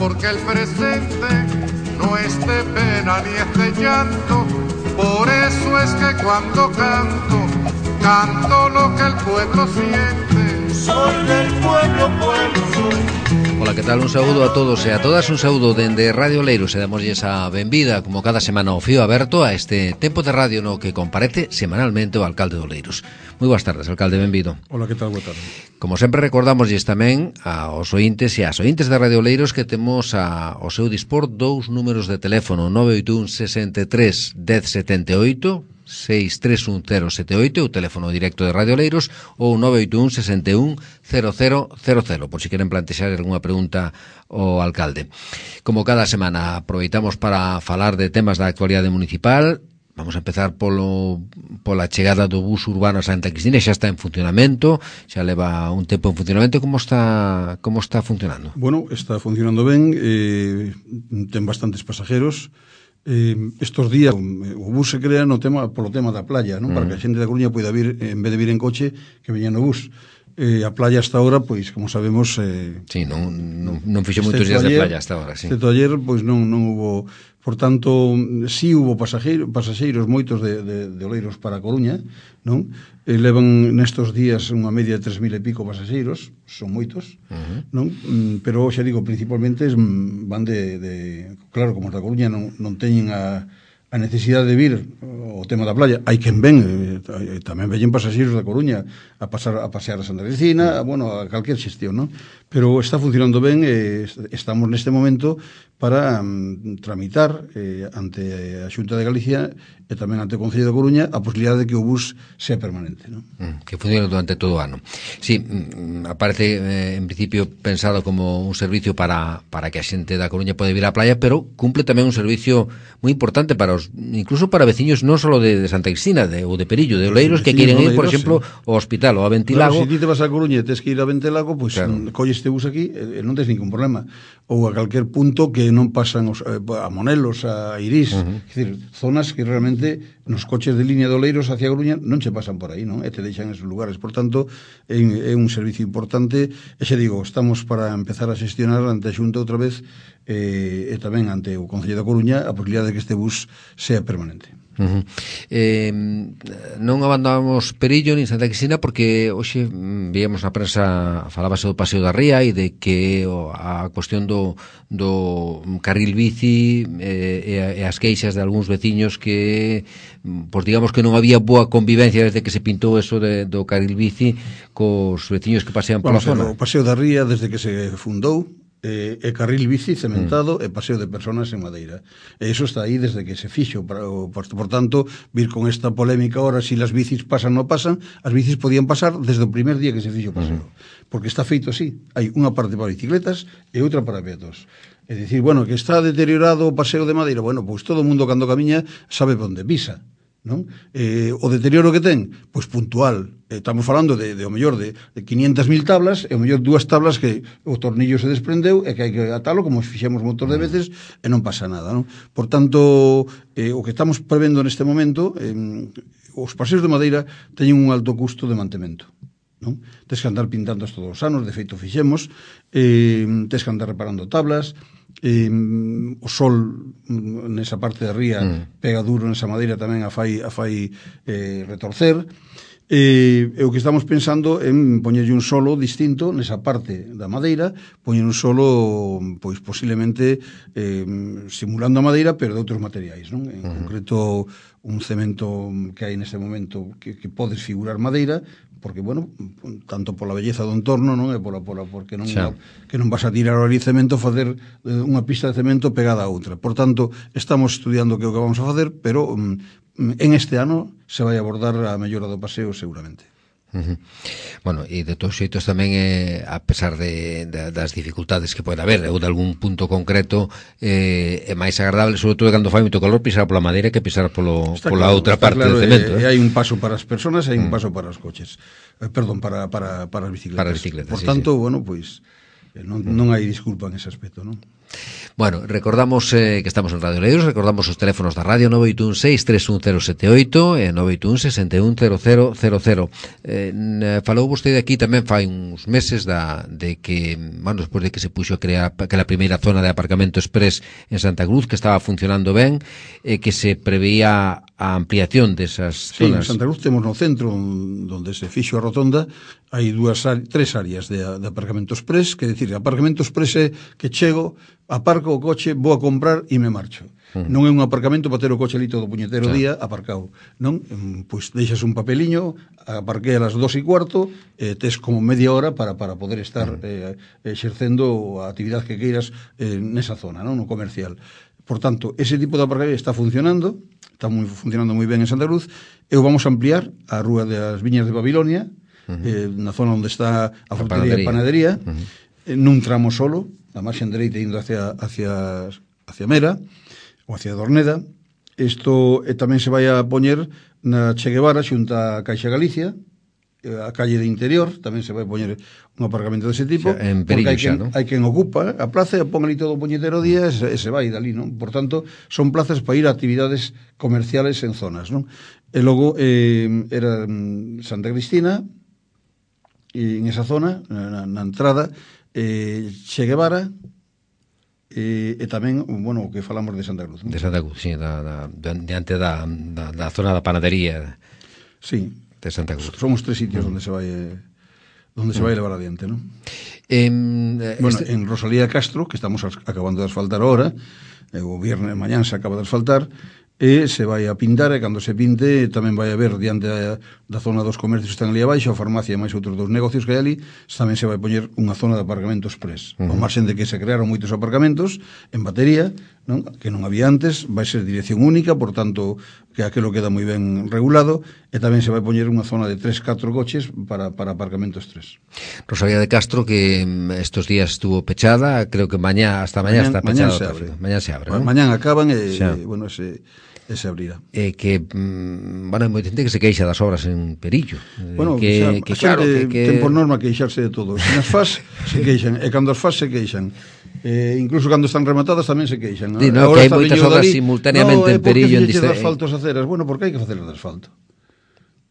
porque el presente no es de pena ni es de llanto. Por eso es que cuando canto, canto lo que el pueblo siente. Soy del pueblo, pueblo soy. Ola, que tal? Un saúdo a todos e a todas, un saúdo dende Radio Oleiros e damoslle esa benvida, como cada semana, ao fío aberto a este tempo de radio no que comparece semanalmente o alcalde de Oleiros. Moi boas tardes, alcalde, benvido. Ola, que tal? Boa tarde. Como sempre, recordamosles tamén aos ointes e ás ointes de Radio Oleiros que temos ao seu dispor dous números de teléfono: 981 63 1078, 6310078, o teléfono directo de Radio Oleiros, ou 981 61 0000, por si queren plantexar algunha pregunta ao alcalde. Como cada semana, aproveitamos para falar de temas da actualidade municipal. Vamos a empezar pola chegada do bus urbano a Santa Cristina. Xa está en funcionamento, xa leva un tempo en funcionamento. Como está funcionando? Bueno, está funcionando ben, ten bastantes pasajeros. Estos días o bus se crea polo tema da playa, non? Para que a xente da Coruña poida vir, en vez de vir en coche, que veña no bus. A playa hasta ahora, pois, como sabemos... Sí, non fixo moitos días de playa hasta ahora, sí. Excepto ayer, pois non hubo... Por tanto, sí hubo pasaxeiros moitos de Oleiros para a Coruña, non? Levan nestos días unha media de 3.000 e pico pasaxeiros, son moitos, non? Pero, xa digo, principalmente van claro, como da Coruña non teñen a necesidade de vir o tema da playa. Hai quen ven, tamén veñen pasaxeiros da Coruña a pasear a Santa Cristina, bueno, a calquer xestión, non? Pero está funcionando ben, estamos neste momento para tramitar ante a Xunta de Galicia e tamén ante o Concello da Coruña a posibilidade de que o bus sea permanente, non? Que funcione durante todo o ano. Sí, aparece en principio pensado como un servicio para que a xente da Coruña pode vir á playa, pero cumple tamén un servicio moi importante para incluso para veciños non só de Santa Cristina ou de Perillo, de Oleiros, que queren ir, por exemplo, ao hospital ou a Ventilago. Claro, se ti te vas a Coruña e tes que ir a Ventilago, pois colles este bus aquí e non tes ningún problema. Ou a calquer punto que non pasan a Monelos, a Irís, é dicir, zonas que realmente nos coches de línea de Oleiros hacia Coruña non se pasan por aí, non? E te deixan esos lugares. Por tanto, é un servicio importante. E xa digo, estamos para empezar a xestionar ante a Xunta outra vez e tamén ante o Concello da Coruña a posibilidade de que este bus sea permanente. Non abandonamos Perillo ni Santa Cristina porque hoxe víamos na prensa, falábase do Paseo da Ría e de que a cuestión do carril bici e as queixas de algúns veciños que, pois digamos que non había boa convivencia desde que se pintou eso do carril bici cos veciños que pasean pola zona. O Paseo da Ría, desde que se fundou, e carril bici cementado e paseo de personas en madeira. E iso está aí desde que se fixo. Por tanto, vir con esta polémica ahora si las bicis pasan ou non pasan, as bicis podían pasar desde o primer día que se fixo o paseo. Porque está feito así. Hai unha parte para bicicletas e outra para peatóns. É dicir, bueno, que está deteriorado o paseo de madeira, bueno, pois todo o mundo cando camiña sabe onde pisa, non? O deterioro que ten, pois puntual. Estamos falando de o mellor de 500.000 tablas e o mellor dúas tablas que o tornillo se desprendeu e que hai que atalo como fixemos montón de veces e non pasa nada, non? Por tanto, o que estamos prevendo neste momento, os paseos de madeira teñen un alto custo de mantemento, non? Tes que andar pintando todos os anos, de feito fixemos, tes que andar reparando tablas, o sol nesa parte da ría pega duro nesa madeira, tamén a fai retorcer. E o que estamos pensando en poñerlle un solo distinto nesa parte da madeira, poñer un solo, pois posiblemente simulando a madeira, pero de outros materiais, non? En concreto, un cemento que hai neste momento que podes figurar madeira, porque, bueno, tanto pola belleza do entorno, non? E porque non vas a tirar ali cemento, facer unha pista de cemento pegada a outra. Por tanto, estamos estudiando que é o que vamos a facer, pero en este ano se vai abordar a mellora do paseo seguramente. Bueno, e de todos xeitos tamén a pesar das dificultades que pode haber ou de algún punto concreto é máis agradable, sobre todo cando fai moito calor, pisar pola madeira que pisar pola outra parte do cemento. E hai un paso para as persoas e hai un paso para os coches, perdón, para as bicicletas. Para as bicicletas, por tanto, bueno, pois non hai disculpa en ese aspecto, non? Bueno, recordamos que estamos en Radio Oleiros, recordamos os teléfonos da radio 981-631-078 e 981-610000. Falou vostede aquí tamén fai uns meses de que, bueno, despois de que se puxo a crear aquela primeira zona de aparcamento express en Santa Cruz, que estaba funcionando ben, que se preveía a ampliación desas zonas. Sí, en Santa Cruz temos no centro, onde se fixo a rotonda, hai tres áreas de aparcamento express, que decir, aparcamento express é que chego, aparco o coche, vou a comprar e me marcho. Non é un aparcamento para ter o coche ali todo puñetero día aparcado, non? Pois deixas un papeliño, aparquei a las 2:15, tes como media hora para poder estar exercendo a actividade que queiras nesa zona, non? No comercial. Por tanto, ese tipo de aparcamento está funcionando, funcionando moi ben en Santa Cruz, e o vamos a ampliar a Rúa das Viñas de Babilonia, na zona onde está a frutería e panadería, nun tramo solo, a marxen dereita indo hacia Mera ou hacia Dorneda. Isto tamén se vai a poñer na Che Guevara xunta a Caixa Galicia, a calle de Interior, tamén se vai a poñer un aparcamento dese tipo, en Perillo xa, non? Hai quen ocupa a plaza e pon ali todo o puñetero día e se vai dali, non? Por tanto, son plazas para ir a actividades comerciales en zonas, non? E logo era Santa Cristina, e en esa zona, na entrada, Che Guevara, e tamén, bueno, o que falamos de Santa Cruz, non? De Santa Cruz, sí, diante da zona da panadería. Sí, de Santa Cruz. Son os tres sitios onde se vai levar adiante, non? Bueno, en Rosalía Castro, que estamos acabando de asfaltar ahora, o viernes mañán se acaba de asfaltar, e se vai a pintar, e cando se pinte tamén vai haber diante da zona dos comercios que están ali abaixo, a farmacia e máis outros dos negocios que hai ali, tamén se vai poñer unha zona de aparcamento express. Ao marxen de que se crearon moitos aparcamentos en batería, non? Que non había antes, vai ser dirección única, por tanto, que aquilo queda moi ben regulado, e tamén se vai poñer unha zona de 3-4 coches para aparcamentos express. Rosalía de Castro, que estos días estuvo pechada, creo que hasta mañá está pechada. Mañán se abre, ¿no? Mañán acaban e, bueno, se abrirá. Que, bueno, hai moita xente que se queixa das obras en Perillo. Bueno, que claro, ten por norma queixarse de todo. Se nas faz, se queixan, e cando as faz, se queixan. Incluso cando están rematadas tamén se queixan. Sí, no, que hai moitas obras simultaneamente en Perillo. Por que fixeches de asfalto as aceras? Bueno, porque hai que facer de asfalto.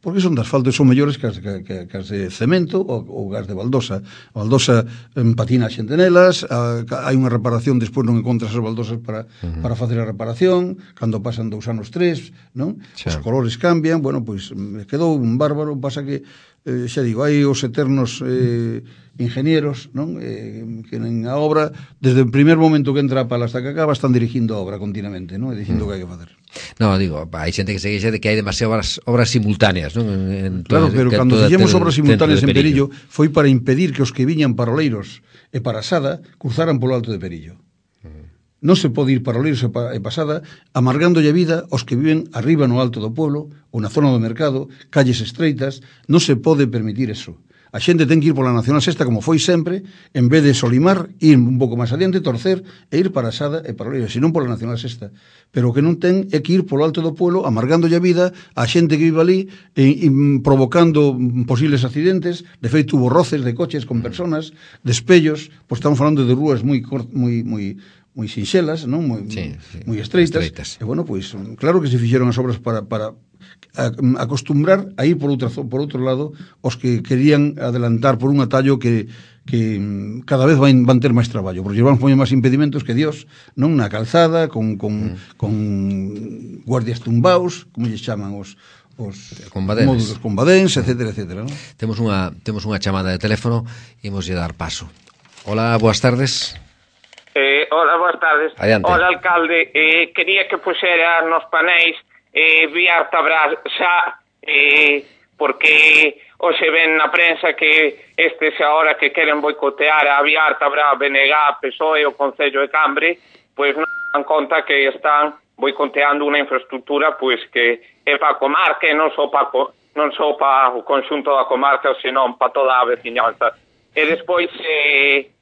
Porque son de asfalto e son mellores que as de cemento ou gas de baldosa. A baldosa patina a xente nelas, hai unha reparación, despois non encontras as baldosas para facer a reparación, cando pasan 2 anos 3, non? Os colores cambian, bueno, pois quedou un bárbaro, pasa que xa digo, hai os eternos ingenieros, non? Que en a obra, desde o primer momento que entra a pala hasta que acaba, están dirigindo a obra continuamente, non? E dicindo o que hai que facer. No, digo, hai xente que se queixa de que hai demasiadas obras simultáneas, non? Claro, pero cando fixemos obras simultáneas en Perillo foi para impedir que os que viñan para Oleiros e para Sada cruzaran polo Alto de Perillo. Non se pode ir para Oleiros e Pasada amargándolle a vida aos que viven arriba no alto do pueblo ou na zona do mercado, calles estreitas. Non se pode permitir eso. A xente ten que ir pola Nacional Sexta como foi sempre, en vez de Solimar, ir un pouco máis adiante, torcer e ir para Sada e para Oleiros, senón pola Nacional Sexta. Pero o que non ten é que ir polo alto do pueblo amargándolle a vida a xente que vive ali e provocando posibles accidentes. De feito, hubo roces de coches con personas, de espellos, pois estamos falando de rúas moi sinxelas, non? Moi estreitas. E bueno, pois claro que se fixeron as obras para acostumbrar a ir por outro lado os que querían adelantar por un atallo que cada vez van ter máis traballo, porque van poñer máis impedimentos que Dios, non? Na calzada, con guardias tumbaos, como lle chaman os módulos combadéns, etcétera, non? Temos unha chamada de teléfono e imos lle dar paso. Hola, boas tardes. Hola, boas tardes. Adiante. Hola, alcalde. Quería que puxera nos panéis Viar Tabrar xa, porque hoxe ven na prensa que estes agora que queren boicotear a Viar Tabrar, BNG, PSOE e o Concello de Cambre, pois non dan conta que están boicoteando unha infraestructura pois que é para a comarca e non só para o conxunto da comarca, senón para toda a veciñanza. E despois se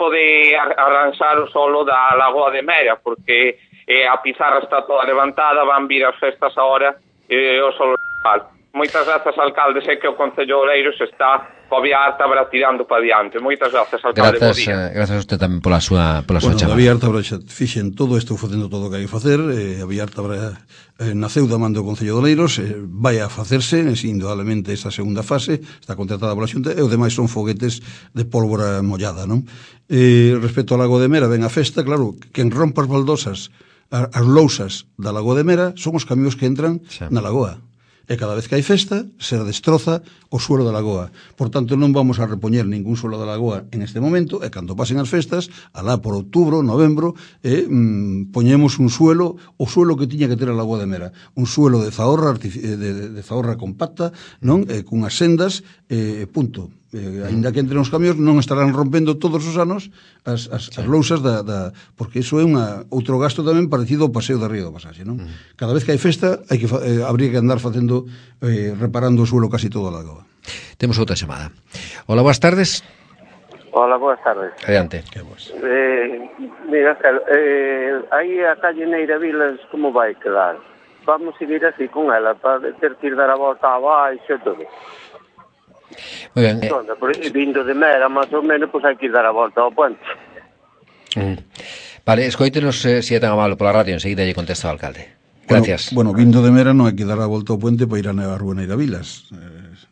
pode arranxar o solo da Lagoa de Mera, porque a pizarra está toda levantada, van vir as festas agora e o solo mal. Moitas grazas, alcalde, sei que o Concello de Oleiros está o Viártabra tirando para diante. Moitas grazas, alcalde, bo día. Gracias a usted tamén pola súa chamada. A Viártabra xa fixen todo, estou facendo todo o que hai que facer. A Viártabra naceu da man do Concello de Oleiros, vai a facerse, indudablemente, esta segunda fase, está contratada pola Xunta, e o demais son foguetes de pólvora mollada, non? Respecto ao Lago de Mera, ven a festa, claro, quen rompa as baldosas, as lousas da Lago de Mera, son os camións que entran na lagoa. E cada vez que hai festa, se destroza o suelo da lagoa. Por tanto, non vamos a repoñer ningún suelo da lagoa en este momento, e cando pasen as festas, alá por outubro, novembro, poñemos un suelo, o suelo que tiña que ter a Lagoa de Mera, un suelo de zaorra, de zaorra compacta, non? Cunhas sendas, punto. Ainda que entren os camións, non estarán rompendo todos os anos as lousas porque iso é outro gasto tamén parecido ao paseo da Río do Pasaxe, non? Cada vez que hai festa habría que andar facendo reparando o suelo casi todo a lagoa. Temos outra chamada. Hola, boas tardes. Hola, boas tardes. Adiante. Mira, aí a calle Neira Vilas como vai quedar? Vamos seguir así con ela para ter que ir dar a volta abaixo e todo. Moi ben. Vindo de Mera, máis ou menos, pois hai que dar a volta ao puente. Vale, escoítenos se é tan amable pola radio, enseguida lle contesta o alcalde. Gracias. Bueno, vindo de Mera non hai que dar a volta ao puente para ir a Rúa Neira Vilas,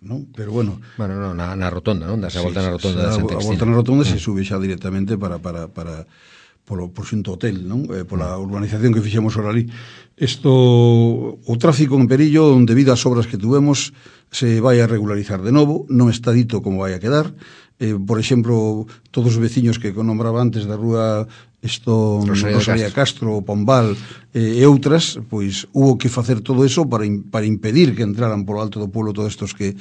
non? Pero bueno... Bueno, non, na rotonda, non? Dase a volta na rotonda de Santa Cristina. A volta na rotonda se sube xa directamente para por xunto hotel, non? Pola urbanización que fixemos ahora ali. O tráfico en Perillo, debido ás obras que tuvemos, se vai a regularizar de novo, non está dito como vai a quedar. Por exemplo, todos os veciños que nombraba antes da rúa Rosalía Castro, Pombal e outras, pois hubo que facer todo eso para impedir que entraran polo alto do pueblo todos estos que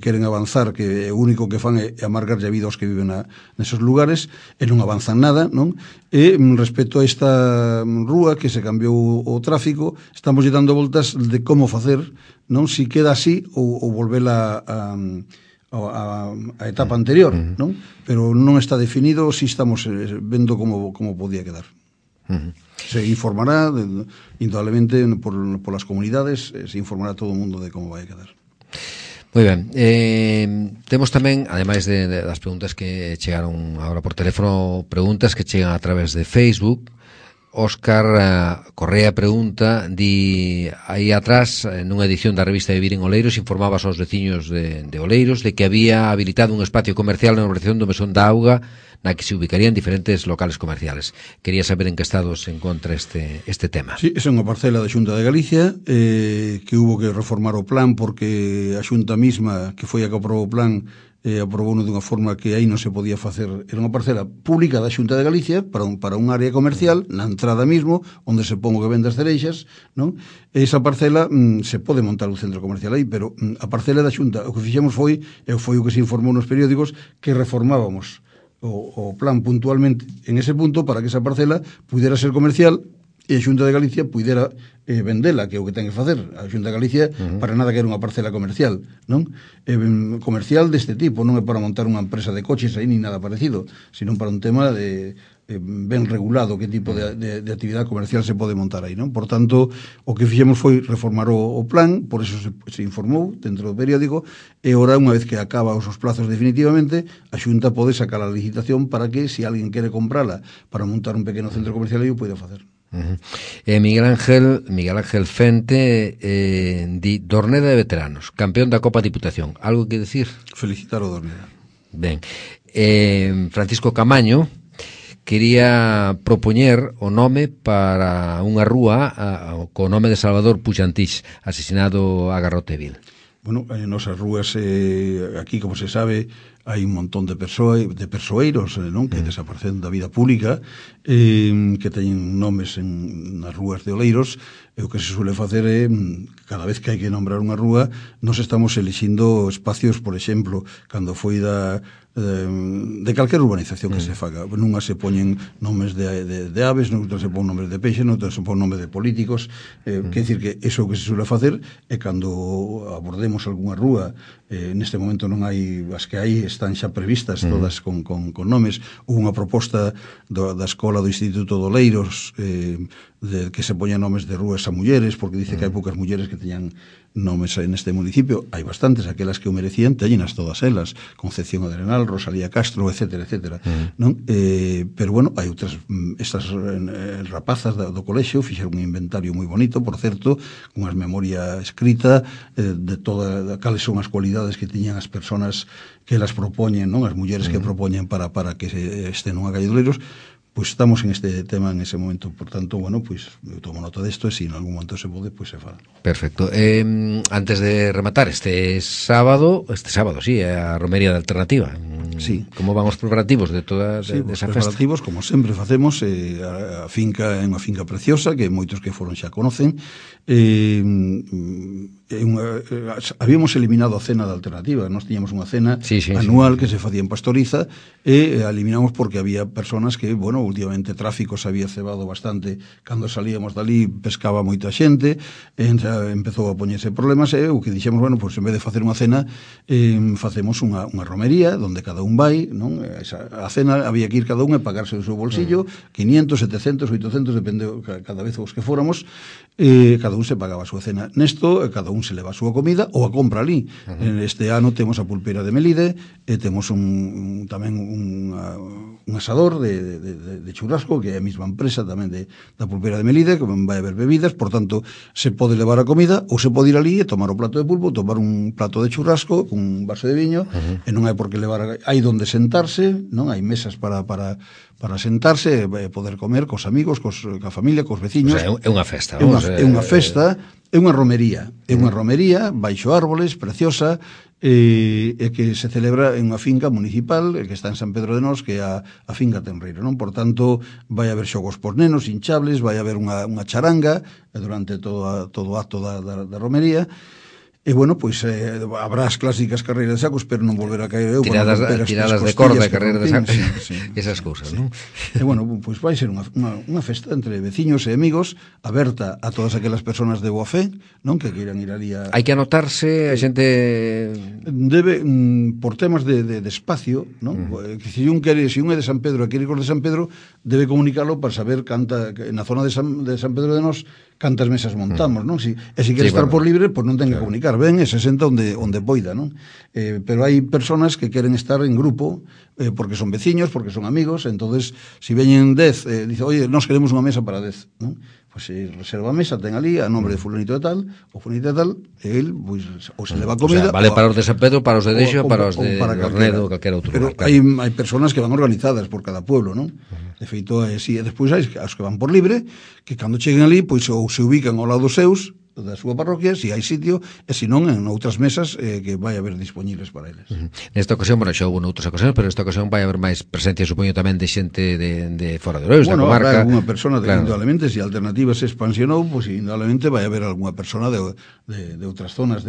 queren avanzar, que o único que fan é amargar a vida aos que viven nesos lugares, e non avanzan nada, non? E respecto a esta rúa que se cambiou o tráfico, estamos lle dando voltas de como facer, non? Si queda así ou volvela a etapa anterior, non? Pero non está definido, si estamos vendo como podía quedar. Se informará, indudablemente, por las comunidades, se informará todo o mundo de como vai a quedar. Moi ben. Temos tamén, ademais das preguntas que chegaron agora por teléfono, preguntas que chegan a través de Facebook. Óscar Correa pregunta, di aí atrás, nunha edición da revista Vivir en Oleiros, informabas aos veciños de Oleiros de que había habilitado un espacio comercial na urbanización do Mesón da Auga na que se ubicarían diferentes locales comerciales. Quería saber en que estado se encontra este tema. Sí, esa é unha parcela da Xunta de Galicia que hubo que reformar o plan porque a Xunta misma, que foi a que aprobou o plan, aprobou dunha forma que aí non se podía facer. Era unha parcela pública da Xunta de Galicia para un área comercial na entrada mismo, onde se pon o que vende as cereixas, non? E esa parcela se pode montar un centro comercial aí, pero a parcela da Xunta, o que fixemos foi o que se informou nos periódicos, que reformábamos o plan puntualmente en ese punto para que esa parcela pudera ser comercial e a Xunta de Galicia pudera vendela, que é o que ten que facer. A Xunta de Galicia para nada quer unha parcela comercial, non? Comercial deste tipo, non é para montar unha empresa de coches aí ni nada parecido, sino para un tema de ben regulado que tipo de actividade comercial se pode montar aí, non? Por tanto, o que fixemos foi reformar o plan, por eso se informou dentro do periódico, e ora, unha vez que acaba os plazos definitivamente, a Xunta pode sacar a licitación para que, se alguén quere comprala para montar un pequeno centro comercial aí, o pode facer. Miguel Ángel Fente di Dorneda de veteranos, campeón da Copa Diputación. Algo que decir? Felicitar o Dorneda. Ben. Francisco Camaño quería propoñer o nome para unha rúa co nome de Salvador Puxantís, asesinado a garrote vil. Bueno, en nosas rúas aquí, como se sabe, hai un montón de persoeiros, non? Que desaparecen da vida pública, que teñen nomes nas rúas de Oleiros, e o que se suele facer é, cada vez que hai que nombrar unha rúa, nos estamos elixindo espacios, por exemplo, cando foi de calquer urbanización que se faga. Nunha se poñen nomes de aves, noutras se pon nomes de peixe, noutras se pon nomes de políticos. Quer dicir que iso que se suele facer é cando abordemos algunha rúa, neste momento non hai, as que hai están xa previstas todas con nomes. Hubo unha proposta da Escola do Instituto de Oleiros que se poñan nomes de rúas a mulleres, porque dice que hai poucas mulleres que teñan nomes neste municipio. Hai bastantes, aquelas que o merecían, teñenas todas elas, Concepción Arenal, Rosalía Castro, etcétera, etcétera, non? Pero bueno, hai outras, estas rapazas do colexio fixeron un inventario moi bonito, por certo, cunhas memoria escrita de toda, cales son as cualidades que tiñan as persoas que las propoñen, non? As mulleres que propoñen para que estén nunha calle de Oleiros. Pois estamos en este tema en ese momento, por tanto, bueno, pois eu tomo nota desto e se en algún momento se pode, pois se fala. Perfecto. Antes de rematar, este sábado, sí, a Romería de Alternativa. Sí. Como van os preparativos de toda sí, esa festa? Os preparativos, como sempre facemos, a finca é unha finca preciosa, que moitos que foron xa conocen. Habíamos eliminado a cena de Alternativa, nós tiñamos unha cena anual que se facía en Pastoriza, e eliminamos porque había personas que, bueno, últimamente tráfico se había cebado bastante cando salíamos dali, pescaba moita xente, empezou a poñerse problemas, e o que dixemos, bueno, pois en vez de facer unha cena, facemos unha romería onde cada un vai, non? A cena había que ir cada un e pagarse do seu bolsillo, 500, 700, 800, depende cada vez os que fóramos, cada un se pagaba a súa cena. Nesto, cada un se leva a súa comida ou a compra ali. Este ano temos a pulpeira de Melide, e temos tamén un asador de churrasco, que é a mesma empresa tamén da pulpeira de Melide, que vai haber bebidas, por tanto, se pode levar a comida, ou se pode ir ali e tomar o plato de pulpo, tomar un plato de churrasco, un vaso de viño, e non hai por que levar, hai donde sentarse, non hai mesas para sentarse e poder comer cos amigos, coa familia, cos veciños. O sea, é unha festa. É unha festa, é unha romería. É unha romería baixo árboles, preciosa, e que se celebra en unha finca municipal que está en San Pedro de Nós, que é a finca Tenreiro, non? Por tanto, vai haber xogos por nenos, hinchables, vai haber unha charanga durante todo o acto da romería. E, bueno, pois habrá as clásicas carreiras de sacos, pero non volver a caer eu. Tiradas de corda, carreiras de sacos, esas cousas, non? E, bueno, pois vai ser unha festa entre veciños e amigos, aberta a todas aquelas persoas de boa fe, non? Que queiran ir ali a... Hai que anotarse, a xente... Debe, por temas de espacio, non? Se un é de San Pedro e quere ir cos de San Pedro, debe comunicarlo para saber na zona de San Pedro de Nós cantas mesas montamos, non? E se quere estar por libre, pois non ten que comunicar, ben, e se senta onde poida, non? Pero hai personas que queren estar en grupo, porque son veciños, porque son amigos, entonces, se veñen 10, dice, oye, nos queremos unha mesa para 10, non? Pois se reserva a mesa, ten ali a nombre de fulanito de tal, ou fulanito de tal, e el, pois, ou se leva comida... O sea, vale para os de San Pedro, para os de Deixo, para os de Ornedo, calquera outro lugar. Pero hai persoas que van organizadas por cada pueblo, non? De feito, e despois hai os que van por libre, que cando cheguen ali, pois, ou se ubican ao lado dos seus, da súa parroquia, se hai sitio, e se non, en outras mesas que vai haber disponibles para eles. Nesta ocasión, bueno, xa houve noutras ocasións, pero nesta ocasión vai haber máis presencia, supoño, tamén de xente de fora de Oleiros, da comarca. Bueno, alguna persona, indudablemente, se a Alternativa se expansionou, pois indudablemente vai haber alguna persona de outras zonas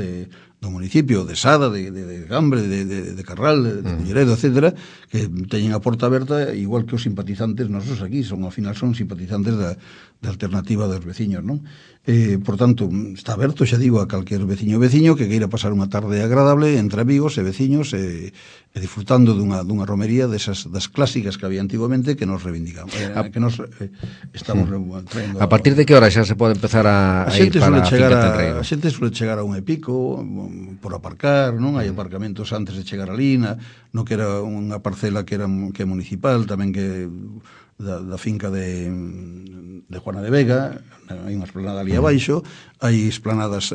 do municipio, de Sada, de Gambre, de Carral, de Culleredo, etcétera, que teñen a porta aberta, igual que os simpatizantes nosos aquí, ao final son simpatizantes da Alternativa dos veciños, non? Por tanto, está aberto, xa digo, a calquer veciño que queira pasar unha tarde agradable entre amigos e veciños e disfrutando dunha romería das clásicas que había antigamente, que nos reivindicamos, que nos estamos traendo. A partir de que hora xa se pode empezar a ir para a finca Tenreiro? A xente suele chegar a un e pico por aparcar, non? Hai aparcamentos antes de chegar ali, no que era unha parcela que é municipal, tamén que da finca de Juana de Vega, hai unha esplanada ali abaixo, hai esplanadas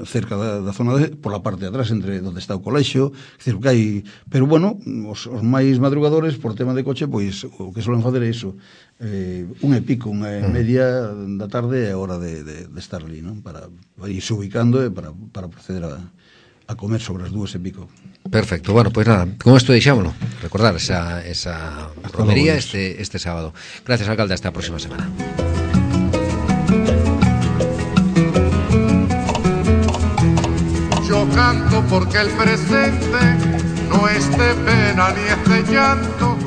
cerca da zona pola parte de atrás, entre onde está o colexio, que hai, pero bueno, os máis madrugadores por tema de coche, pois o que solen fazer é iso, un e pico, unha e media da tarde é a hora de estar ali, non? Para irse ubicando e para proceder a comer sobre as 2:00 PM. Perfecto, bueno, pois nada, con isto deixámoslo, recordar esa romería este sábado. Gracias, alcalde, hasta a próxima semana. Yo canto porque el presente no es de pena ni es de llanto,